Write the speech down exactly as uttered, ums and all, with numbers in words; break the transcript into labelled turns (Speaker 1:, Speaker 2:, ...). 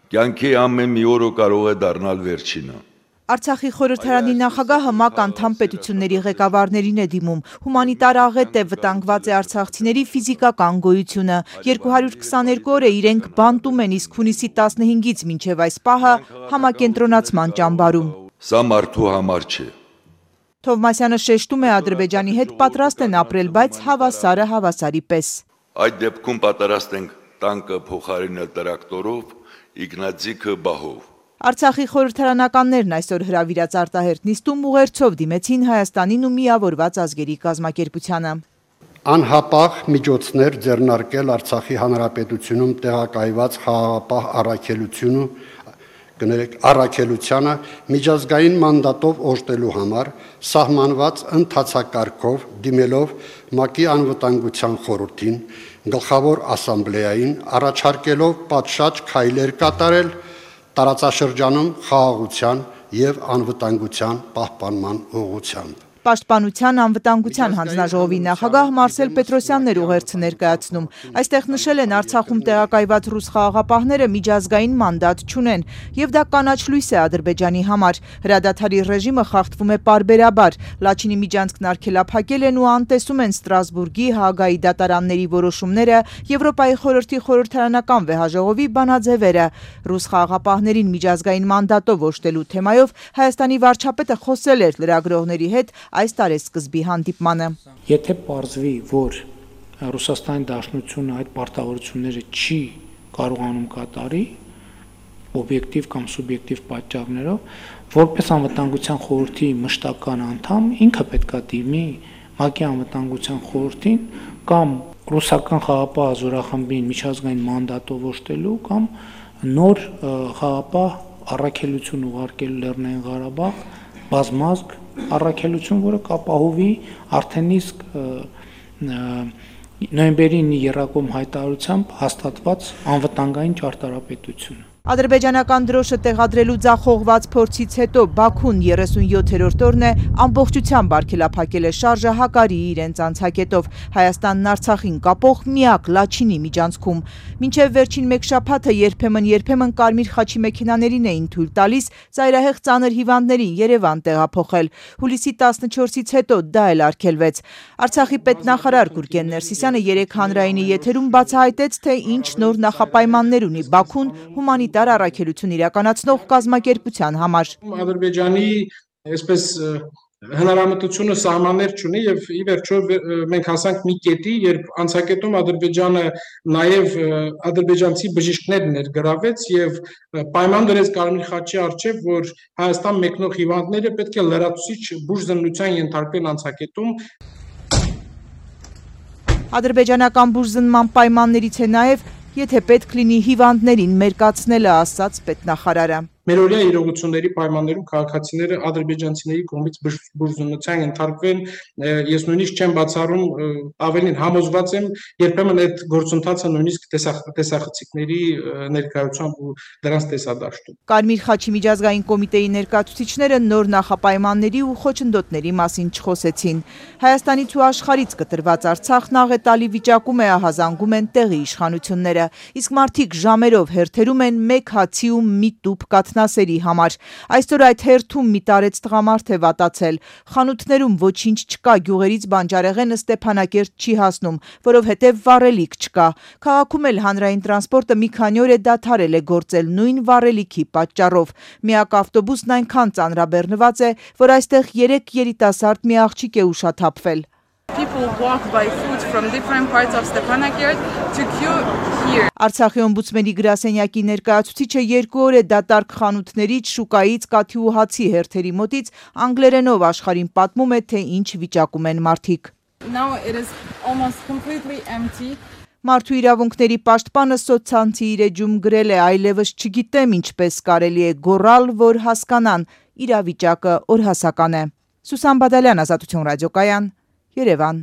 Speaker 1: Կյանքի ամեն մի օրը կարող է դառնալ վերջինը։
Speaker 2: Արցախի խորհրդարանի նախագահը ՄԱԿ անդամ պետությունների ղեկավարներին է դիմում։ Հումանիտար աղետ է, վտանգված է արցախցիների ֆիզիկական գոյությունը։ երկու հարյուր քսաներկու օր է իրենք բանտում են, իսկ հունիսի տասնհինգից մինչև այս պահը համակենտրոնացման ճամբարում։
Speaker 1: Սա մարդու համար չէ։
Speaker 2: Թովմասյանը շեշտում է, Ադրբեջանի հետ պատրաստ են ապրել, բայց հավասարը հավասարի պես։
Speaker 1: Այդ դեպքում պատրաստ ենք տանկը փոխարինել տրակտորով, իգնատζիկը բահով։
Speaker 2: Արցախի խորհրդարանականներն այսօր հրավիրած արտահերթ նիստում ուղերձով դիմեցին Հայաստանին ու Միավորված ազգերի կազմակերպությանը։
Speaker 3: Անհապաղ միջոցներ ձեռնարկել Արցախի հանրապետությունում տեղակայված խաղաղապահ առաքելությունը առաքելությանը միջազգային մանդատով օժտելու համար սահմանված ընթացակարգով դիմելով ՄԱԿ-ի անվտանգության խորհրդին, գլխավոր ասամբլեային առաջարկելով պատշաճ քայլեր կատարել տարածաշրջանում խաղաղության եւ անվտանգության պահպանման ուղղությամբ։
Speaker 2: Պաշտպանության անվտանգության հանձնաժողովի նախագահ Մարսել Պետրոսյանն էր ուղերձը ներկայացնում։ Այստեղ նշել են, Արցախում տեղակայված ռուս խաղաղապահները միջազգային մանդատ չունեն, եւ դա կանաչ լույս է Ադրբեջանի համար։ Հրադադարի ռեժիմը խախտվում է պարբերաբար։ Լաչինի միջանցքն արգելափակել են ու անտեսում են Ստրասբուրգի, Հաագայի դատարանների որոշումները, Եվրոպայի խորհրդի խորհրդարանական վեհաժողովի բանաձևերը։ Ռուս խաղաղապահներին միջազգային մանդատով օժտելու թեմայով Հայաստանի վարչապետը խոսել էր լրագրողների հետ այս տարեսկզբի հանդիպմանը։
Speaker 4: Եթե պարզվի, որ Ռուսաստանի Դաշնությունը այդ պարտավորությունները չի կարողանում կատարի, օբյեկտիվ կամ սուբյեկտիվ պատճառներով, որպես անվտանգության խորհրդի մշտական անդամ, ինքը պետքա դիմի ՄԱԿ-ի անվտանգության խորհրդին կամ ռուսական խաղաղապահ զորախմբին միջազգային մանդատով օժտելու կամ նոր խաղաղապահ առաքելություն ուղարկելու Լեռնային Ղարաբաղ բազմազգ առաքելություն, որը կապահովի արդեն իսկ նոյեմբերի ինը եռակոմ հայտարարությամբ հաստատված անվտանգային ճարտարապետությունը։
Speaker 2: Ադրբեջանական դրոշը տեղադրելու ձախողված փորձից հետո Բաքուն երեսունյոթերորդ օրն է ամբողջությամբ արգելափակել է շարժը Հակարիի իրենց անցակետով Հայաստանն Արցախին կապող միակ Լաչինի միջանցքում։ Մինչև վերջին մեկ շաբաթը երբեմն-երբեմն կարմիր խաչի մեքենաներին էին թույլ տալիս ծայրահեղ ծանր հիվանդներին Երևան տեղափոխել։ Հուլիսի տասնչորսից հետո դա էլ արգելվեց։ Արցախի պետնախարար Գուրգեն Ներսիսյանը երեկ հանրայինի եթերում բացահայտեց, թե ինչ նոր նախապայմաններ ունի Բաքուն հումանիտար առաքելություն իրականացնող կազմակերպության համար։
Speaker 5: Ադրբեջանի այսպես հնարամտությունը սահմաններ չունի եւ ի վերջո մենք հասանք մի կետի, երբ անցակետում Ադրբեջանը նաեւ ադրբեջանցի բժիշկներ ներգրավեց եւ պայման դրեց Կարմիր խաչի առջեւ, որ Հայաստան մեկնող հիվանդները պետք է լրացուցիչ բուժզննության ենթարկվեն անցակետում։
Speaker 2: Ադրբեջանական բուժզննման պայմաններից է նաեւ եթե պետք լինի հիվանդներին մերկացնելը, ասաց պետնախարարը։
Speaker 5: Մերօրյա իրողությունների պայմաններում քաղաքացիները ադրբեջանցիների կողմից բուժզննության ենթարկվեն, ես նույնիսկ չեմ բացառում, ավելին համոզված եմ, երբեմն այդ գործընթացը նույնիսկ տեսախցիկների ներկայությամբ ու դրանց տեսադաշտում։
Speaker 2: Կարմիր խաչի միջազգային կոմիտեի ներկայացուցիչները նոր նախապայմանների ու խոչընդոտների մասին չխոսեցին։ Հայաստանից ու աշխարհից կտրված Արցախն աղետալի վիճակում է, ահազանգում են տեղի իշխանությունները, իսկ մարդիկ ժամերով հերթերում են մեկ հացի ու մի տուփ կաթնասերի համար։ Այսօր այդ հերթում մի տարեց տղամարդ է վատացել։ Խանութներում ոչինչ չկա, գյուղերից բանջարեղենը Ստեփանակերտ չի հասնում, որովհետև վառելիք չկա։ Քաղաքում էլ հանրային տրանսպորտը մի քանի օր է դադարել է գործել նույն վառելիքի պատճառով։ Միակ ավտոբուսն այնքան ծանրաբեռնված է, որ այստեղ երեք երիտասարդ մի աղջիկ է ուշաթափվել։
Speaker 6: People walk by foot from different parts of Stepanakert to queue here.
Speaker 2: Արցախի օմբուդսմենի գրասենյակի ներկայացուցիչը երկու օր է դատարկ խանութներից, շուկայից, կաթի ու հացի հերթերի մոտից անգլերենով աշխարհին պատմում է, թե ինչ վիճակում են մարդիկ։
Speaker 6: Now it is almost completely empty.
Speaker 2: Մարդու իրավունքների պաշտպանը սոցցանցի իր էջում գրել է, այլևս չգիտեմ ինչպես կարելի է գոռալ, որ հասկանան, իրավիճակը օրհասական է։ Սուսան Բադալյան, Ազատություն ռադիոկայան, Երևան։